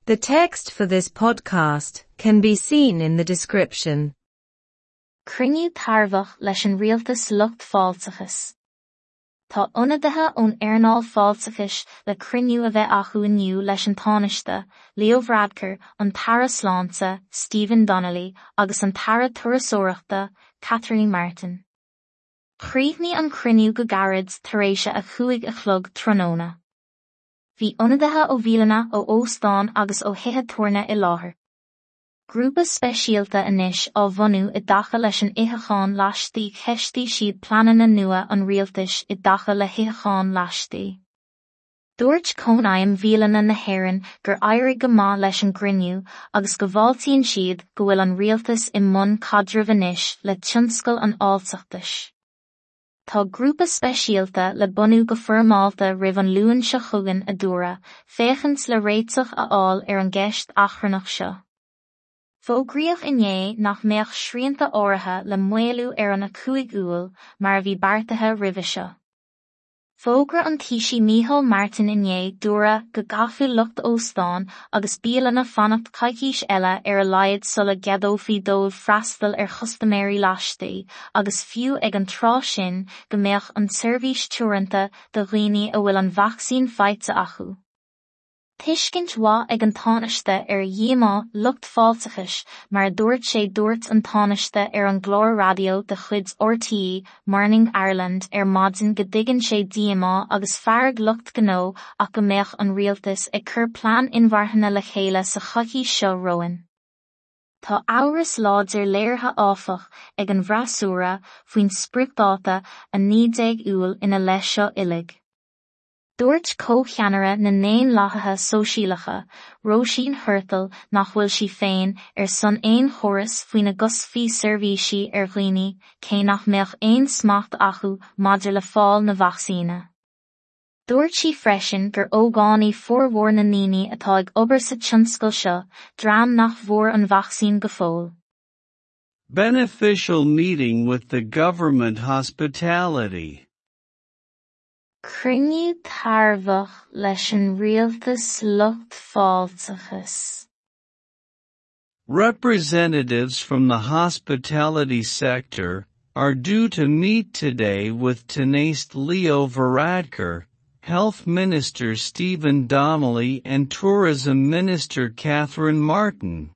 The text for this podcast can be seen in the description. Cruinniú tairbheach leis an rialtas lucht fáilteachais. Tá ionadaithe ón earnáil fáilteachais le cruinniú a bheith acu inniu leis an Tánaiste, Leo Varadkar, an tAire Sláinte, Stephen Donnelly, agus an tAire Turasóireachta, Catherine Martin. Chríochnaigh an cruinniú go gairid tar éis a 5 a chlog tráthnóna. Bhí ionadaithe ó bhialanna, ó óstáin agus ó thithe tabhairne i láthair. Grúpa speisialta anois á bhunú i dtaca leis an itheachán laistigh Cheistigh siad pleananna nua an rialtais i dtaca le hitheachán laistigh. Dúirt Cónaidhm Bhialanna na hÉireann gur éirigh go maith leis an gcruinniú agus go bhfáiltíonn siad go bhfuil an rialtas i mbun caidrimh anois le tionscal an fháilteachais. Tá grúpa speisialta le bunú go foirmeálta roimh an Luan seo chugainn, a dúradh, féachaint le réiteach a fháil ar an gceist achrannach seo. Fógraíodh inné nach mbeadh srianta áirithe le maolú ar an 5 Iúil mar a bhí beartaithe roimhe seo. Fógra an Taoisigh Micheál Martin inné dúradh go gcaithfeadh lucht óstán agus bialanna fanacht coicís eile ar a laghad sula gceadófaí dóibh freastal ar chustaiméirí laistigh agus fiú ag an tráth sin go mbeadh an tseirbhís teoranta do dhaoine a bhfuil an vacsaín faighte acu. Tuiscint mhaith ag an Tánaiste ar dhíomá lucht fáilteachais mar a dúirt sé Dúirt an Tánaiste ar an gclár raidió de chuid RTÉ Morning Ireland ar maidin go dtuigeann sé díomá agus fearg lucht gnó ach go mbeadh an rialtas ag cur plean inmharthana le chéile sa choicís seo romhainn. Tá amhras láidir léirithe áfach ag an bhfreasúra faoin spriocdháta 19 Iúil ina leith seo uilig. Dúirt comhcheannaire na nDaonlathaithe Sóisialacha, Róisín Thurtle nach bhfuil sí féin ar son aon chóras faoina gcoscfaí seirbhísí ar dhaoine cé nach mbeadh aon smacht acu maidir le fáil na vacsaíne. Dúirt sí freisin gur ógánaigh formhór na ndaoine atá ag obair sa tionscal seo, dream nach bhfuair an vacsaín go fóill. Beneficial meeting with the government hospitality. Cruinniú tairbheach leis an rialtas lucht fáilteachais. Representatives from the hospitality sector are due to meet today with Tánaiste Leo Varadkar, Health Minister Stephen Donnelly and Tourism Minister Catherine Martin.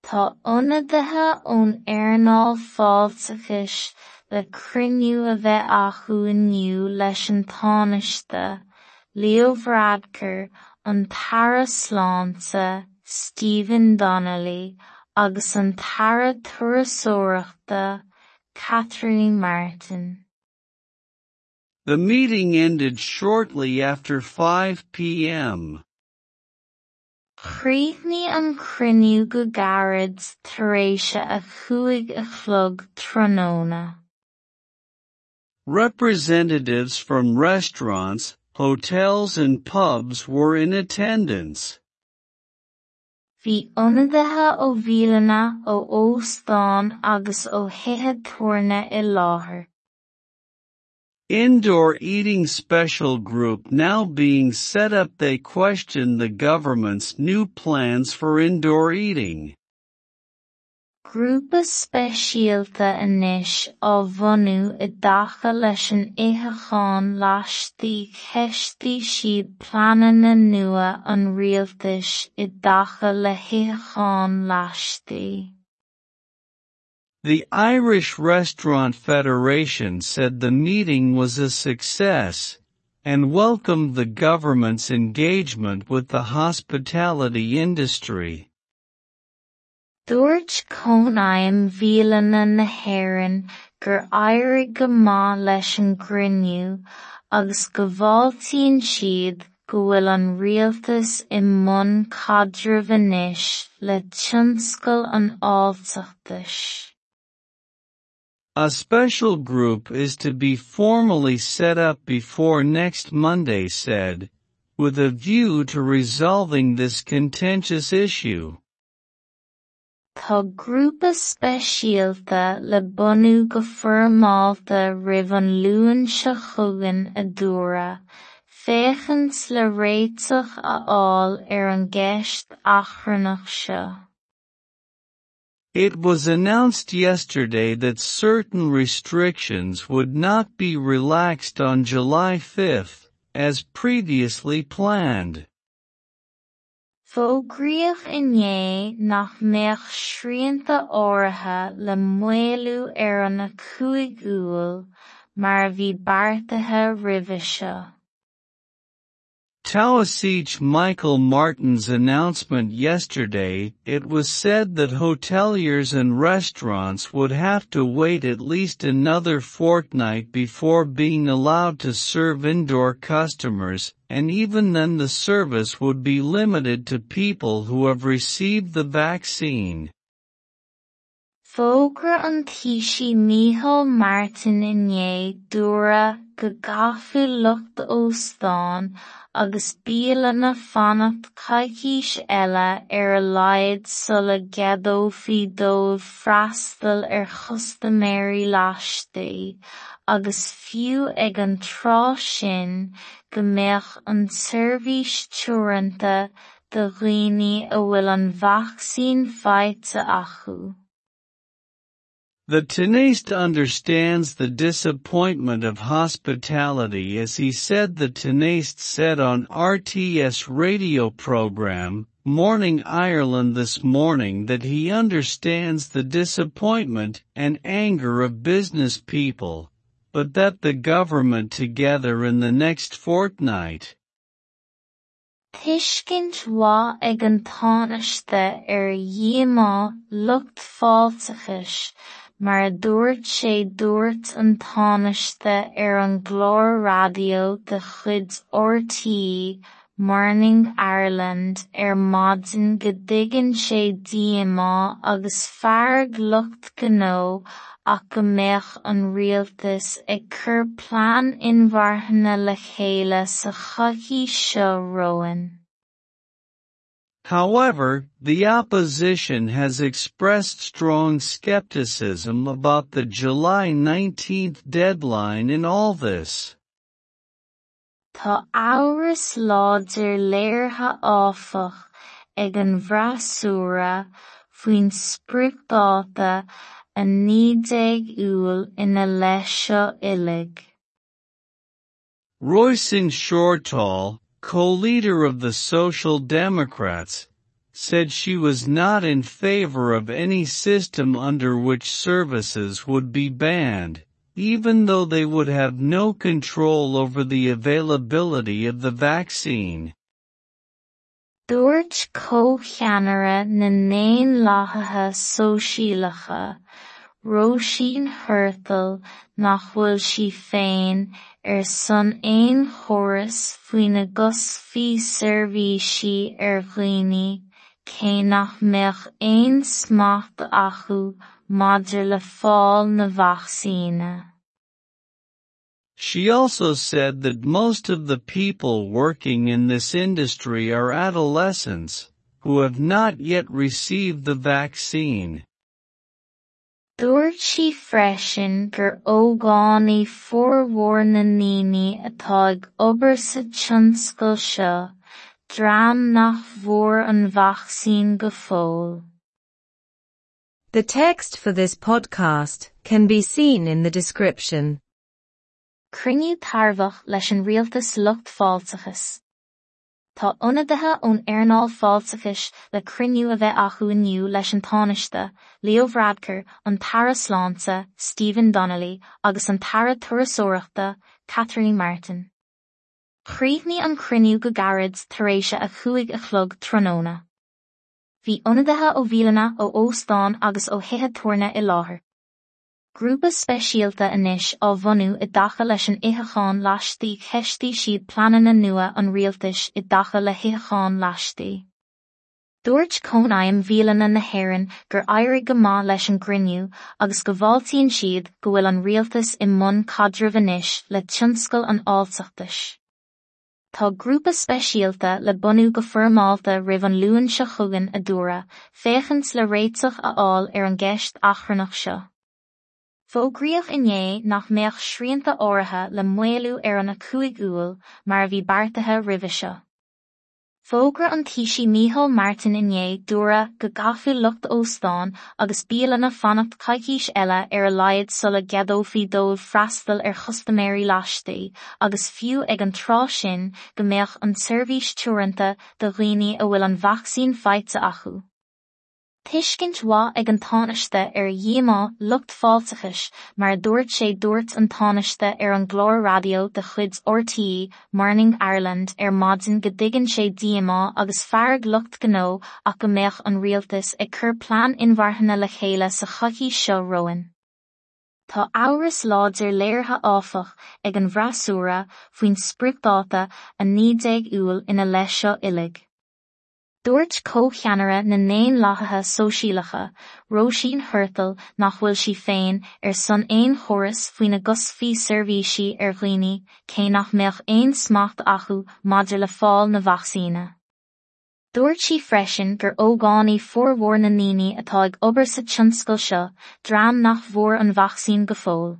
Tá ionadaithe ón earnáil fáilteachais le cruinniú a bheith acu inniu leis an Tánaiste, Leo Varadkar, an tAire Sláinte, Stephen Donnelly, agus an tAire Turasóireachta, Catherine Martin. The meeting ended shortly after 5 p.m. Chríochnaigh an cruinniú go gairid tar éis a 5 a chlog tráthnóna. Representatives from restaurants, hotels and pubs were in attendance. Bhí ionadaithe ó bhialanna, ó óstáin agus ó thithe tabhairne i láthair. Indoor eating special group now being set up They questioned the government's new plans for indoor eating. Grúpa speisialta anois á bhunú i dtaca leis an itheachán laistigh Cheistigh siad pleananna nua an rialtais i dtaca le hitheachán laistigh. The Irish Restaurant Federation said the meeting was a success and welcomed the government's engagement with the hospitality industry. Dúirt Cónaidhm Bhialanna na hÉireann gur éirigh go maith leis an gcruinniú agus go bhfáiltíonn siad go bhfuil an rialtas i mbun caidrimh anois le tionscal an fháilteachais. A special group is to be formally set up before next Monday said, with a view to resolving this contentious issue. Tá grúpa speisialta le bunú go foirmeálta roimh an Luan seo chugainn a dúradh, féachaint le réiteach a fháil ar an gceist achrannach seo. It was announced yesterday that certain restrictions would not be relaxed on July 5, as previously planned. Fógraíodh inné nach mbeadh srianta áirithe le maolú ar an 5 Iúil, mar a bhí beartaithe roimhe seo. Taoiseach Michael Martin's announcement yesterday, it was said that hoteliers and restaurants would have to wait at least another fortnight before being allowed to serve indoor customers, and even then the service would be limited to people who have received the vaccine. Fógra an Taoisigh Micheál Martin inné dúradh go gcaithfeadh lucht óstán agus bialanna fanacht coicís eile ar a laghad sula gceadófaí dóibh freastal ar chustaiméirí laistigh, agus fiú ag an tráth sin go mbeadh an tseirbhís teoranta do dhaoine a bhfuil an vacsaín faighte acu. The Tánaiste understands the disappointment of hospitality as he said the Tánaiste said on RTÉ's radio program, Morning Ireland this morning that he understands the disappointment and anger of business people, but that the government together in the next fortnight. Tuiscint mhaith ag an Tánaiste ar dhíomá lucht fáilteachais mar a dúirt sé dúirt an Tánaiste ar an gclár raidió de chuid RTÉ Morning Ireland ar maidin go dtuigeann sé díomá agus fearg lucht gnó ach go mbeadh an rialtas ag cur plean inmharthana le chéile sa choicís seo romhainn. However, the opposition has expressed strong skepticism about the July 19 deadline in all this. Tá amhras láidir léirithe áfach ag an bhfreasúra faoin spriocdháta 19 Iúil ina leith seo uilig. Róisín Shortall, co-leader of the Social Democrats, said she was not in favor of any system under which services would be banned, even though they would have no control over the availability of the vaccine. Dúirt comhcheannaire na nDaonlathaithe Sóisialacha, Róisín Shortall nach bhfuil sí féin ar son aon chóras faoina gcosfaí seirbhísí ar dhaoine, cé nach mbeadh aon smacht acu maidir le fáil na vacsaíne. She also said that most of the people working in this industry are adolescents, who have not yet received the vaccine. Dúirt sí freisin gur ógánaigh formhór na ndaoine atá ag obair sa tionscal seo, dream nach bhfuair an vacsaín go fóill. The text for this podcast can be seen in the description. Cruinniú tairbheach leis an rialtas lucht fáilteachais. Tá ionadaithe ón earnáil fáilteachais le cruinniú a bheith acu inniu leis an Tánaiste, Leo Varadkar, an tAire Sláinte, Stephen Donnelly, agus an tAire Turasóireachta, Catherine Martin. Chríochnaigh an cruinniú go gairid tar éis a 5 a chlog tráthnóna. Bhí ionadaithe ó bhialanna, ó óstáin agus ó thithe tabhairne i láthair. Grúpa speisialta anois á bhunú i dtaca leis an itheachán laistigh cheistigh siad pleananna nua an rialtais i dtaca le hitheachán laistigh. Dúirt Cónaidhm Bhialanna na hÉireann gur éirigh go maith leis an gcruinniú agus go bhfáiltíonn siad go bhfuil an rialtas i mbun caidrimh anois le tionscal an fháilteachais. Tá grúpa speisialta le bunú go foirmeálta roimh an Luan seo chugainn a dúradh, féachaint le réiteach a fháil ar an gceist achrannach seo. Fógraíodh inné nach mbeadh srianta áirithe le maolú ar an 5 Iúil mar a bhí beartaithe roimhe seo. Fógra an Taoisigh Micheál Martin inné dúradh go gcaithfeadh lucht óstán agus bialanna fanacht coicís eile ar a laghad sula gceadófaí dóibh freastal ar chustaiméirí laistigh agus fiú ag an tráth sin go mbeadh an tseirbhís teoranta do dhaoine a bhfuil an vacsaín faighte acu. Tuiscint mhaith ag an Tánaiste ar dhíomá lucht fáilteachais mar a dúirt sé Dúirt an Tánaiste ar an gclár raidió de chuid RTÉ Morning Ireland ar maidin go dtuigeann sé díomá agus fearg lucht gnó ach go mbeadh an rialtas ag cur plean inmharthana le chéile sa choicís seo romhainn. Tá amhras láidir léirithe áfach ag an bhfreasúra faoin spriocdháta 19 Iúil ina leith seo uilig. Dúirt comhcheannaire na nDaonlathaithe Sóisialacha, Róisín Shortall nach bhfuil sí féin ar son aon chóras faoina gcoscfaí seirbhísí ar dhaoine cé nach mbeadh aon smacht acu maidir le fáil na vacsaíne. Dúirt sí freisin gur ógánaigh formhór na ndaoine atá ag obair sa tionscal seo, dream nach bhfuair an vacsaín go fóill.